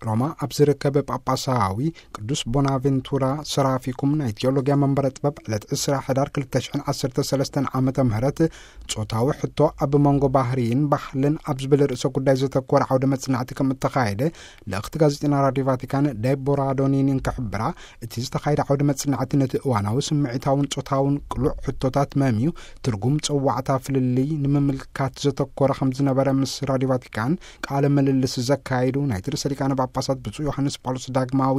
ሮማ ኣብ ዝርከብ ጳጳሳዊ ቅዱስ ቦናቬንቱራ ሰራፊኩም ናይ ቴዎሎጊያ መንበረ ጥበብ ዕለት ዕስራ ሕዳር ክልተ ሽሕን ዓሰርተ ሰለስተን ዓመተ ምህረት ጾታዊ ሕቶ ኣብ መንጎ ባህርይን ባህልን ኣብ ዝብል ርእሰ ጉዳይ ዘተኮረ ዓውደ መጽናዕቲ ከም እተኻየደ ልእኽቲ ጋዜጠና ራድዮ ቫቲካን ዴቦራ ዶኒኒ እንክሕብራ፣ እቲ ዝተኻየደ ዓውደ መጽናዕቲ ነቲ እዋናዊ ስምዒታውን ጾታውን ቅሉዕ ሕቶታት መምዩ ትርጉም ጸዋዕታ ፍልልይ ንምምልካት ዘተኮረ ከም ዝነበረ ምስ ራድዮ ቫቲካን ቃለ ምልልስ ዘካየዱ ናይቲ ርእሰ ሊቃነ ጳጳሳት ብፁዕ ዮሃንስ ጳውሎስ ዳግማዊ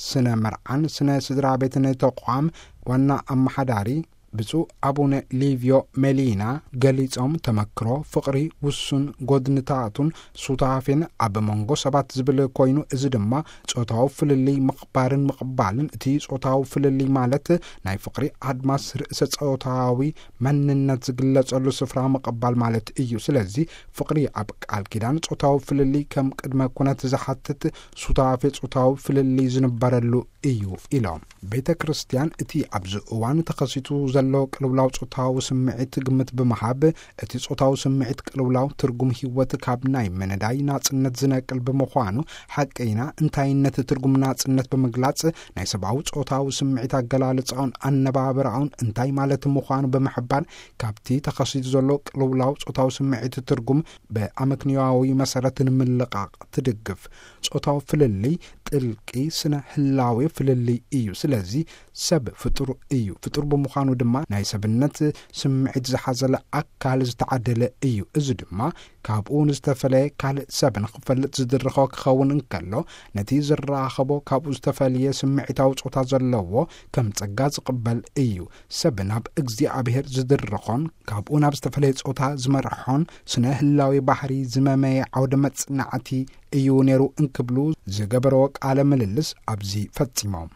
ስነ መርዓን ስነ ስድራ ቤትን ተቋም ዋና ኣመሓዳሪ ብፁዕ ኣቡነ ሊቪዮ ሜሊና ገሊጾም፣ ተመክሮ ፍቕሪ ውሱን ጎድንታቱን ሱታፌን ኣብ መንጎ ሰባት ዝብል ኮይኑ፣ እዚ ድማ ጾታዊ ፍልልይ ምኽባርን ምቕባልን፣ እቲ ጾታዊ ፍልልይ ማለት ናይ ፍቕሪ ኣድማስ ርእሰ ጾታዊ መንነት ዝግለጸሉ ስፍራ ምቕባል ማለት እዩ። ስለዚ ፍቕሪ ኣብ ቃል ኪዳን ጾታዊ ፍልልይ ከም ቅድመ ኩነት ዝሓትት ሱታፌ ጾታዊ ፍልልይ ዝንበረሉ እዩ ኢሎም። ቤተ ክርስቲያን እቲ ኣብዚ እዋን ተኸሲቱ ዘሎ ቅልውላው ጾታዊ ስምዒት ግምት ብምሃብ፣ እቲ ጾታዊ ስምዒት ቅልውላው ትርጉም ህይወት ካብ ናይ ምንዳይ ናጽነት ዝነቅል ብምዃኑ፣ ሓቀይና እንታይነት ትርጉም ናጽነት ብምግላጽ፣ ናይ ሰብኣዊ ጾታዊ ስምዒት ኣገላልጻኡን ኣነባብራኡን እንታይ ማለት ምዃኑ ብምሕባር፣ ካብቲ ተኸሲቱ ዘሎ ቅልውላው ጾታዊ ስምዒት ትርጉም ብኣመክንዮዊ መሰረት ንምልቃቕ ትድግፍ። ጾታዊ ፍልልይ ጥልቂ ስነ ህላዌ ፍልልይ እዩ። ስለዚ ሰብ ፍጡር እዩ። ፍጡር ብምዃኑ ድማ ናይ ሰብነት ስምዒት ዝሓዘለ ኣካል ዝተዓደለ እዩ። እዚ ድማ ካብኡ ንዝተፈለየ ካልእ ሰብ ንኽፈልጥ ዝድርኾ ክኸውን እንከሎ፣ ነቲ ዝራኸቦ ካብኡ ዝተፈልየ ስምዒታዊ ጾታ ዘለዎ ከም ጸጋ ዝቕበል እዩ። ሰብ ናብ እግዚኣብሔር ዝድርኾን ካብኡ ናብ ዝተፈለየ ጾታ ዝመርሖን ስነ ህላዌ ባህሪ ዝመመየ ዓውደ መጽናዕቲ እዩ ነይሩ እንክብሉ ዝገበረዎ ቃለ ምልልስ ኣብዚ ፈጺሞም።